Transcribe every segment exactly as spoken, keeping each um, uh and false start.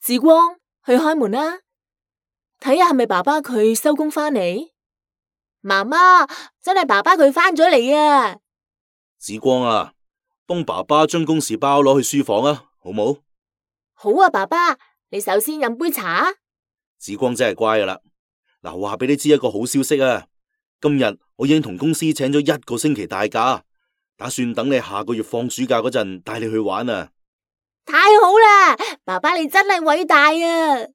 志光，去開門啦，睇下係咪爸爸佢收工返嚟。媽媽，真係爸爸佢返咗嚟啊！志光啊，幫爸爸將公事包攞去書房啊，好冇？好啊，爸爸，你首先飲杯茶。志光真係乖噶啦。嗱，話俾你知一個好消息啊！今日我已經同公司請咗一個星期大假，打算等你下個月放暑假嗰陣帶你去玩啊！太好啦，爸爸你真係偉大啊！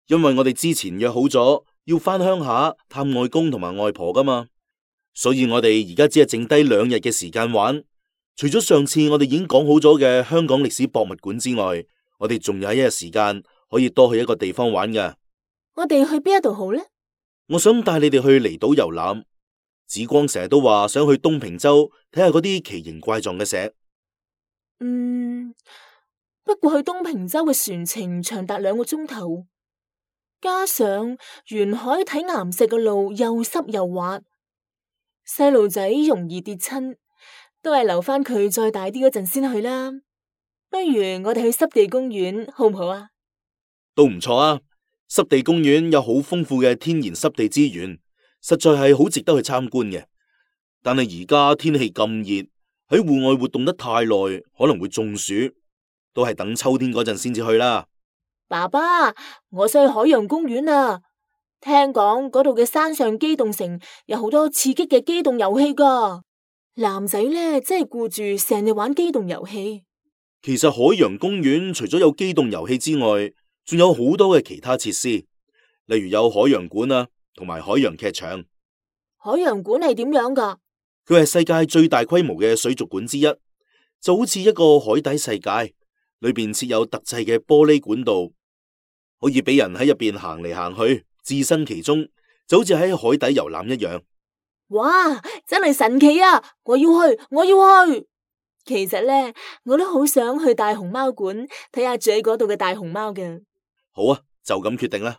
因為我哋之前約好咗要返鄉下探外公同埋外婆噶嘛，所以我哋而家只係剩低兩日嘅時間玩。除咗上次我哋已經講好咗嘅香港歷史博物館之外，我哋仲有一日時間可以多去一個地方玩噶。我哋去邊一度好呢？我想帶你哋去離島遊覽。紫光成日都話想去東平洲睇下嗰啲奇形怪狀嘅石。嗯，不過去東平洲嘅船程長達兩個鐘頭，加上沿海睇岩石嘅路又濕又滑，細路仔容易跌親，都係留翻佢再大啲嗰陣先去啦。不如我哋去濕地公園好唔好啊？都唔錯啊！濕地公園有好豐富嘅天然濕地資源，實在係好值得去參觀嘅。但係而家天氣咁熱，喺戶外活動得太耐，可能會中暑，都係等秋天嗰陣先至去啦。爸爸，我想去海洋公園啊！聽講嗰度嘅山上機動城有好多刺激嘅機動遊戲噶，男仔呢，真係顧住成日玩機動遊戲。其實海洋公園除咗有機動遊戲之外，仲有好多嘅其他設施，例如有海洋館啊，同埋海洋劇場。海洋館係點樣噶？佢係世界最大規模嘅水族館之一，就好似一個海底世界，裏邊設有特製嘅玻璃管道，可以俾人喺入邊行嚟行去，置身其中，就好似喺海底遊覽一樣。哇，真係神奇啊！我要去，我要去。其實呢，我都好想去大熊貓館睇下住喺嗰度嘅大熊貓嘅。好啊，就咁決定啦。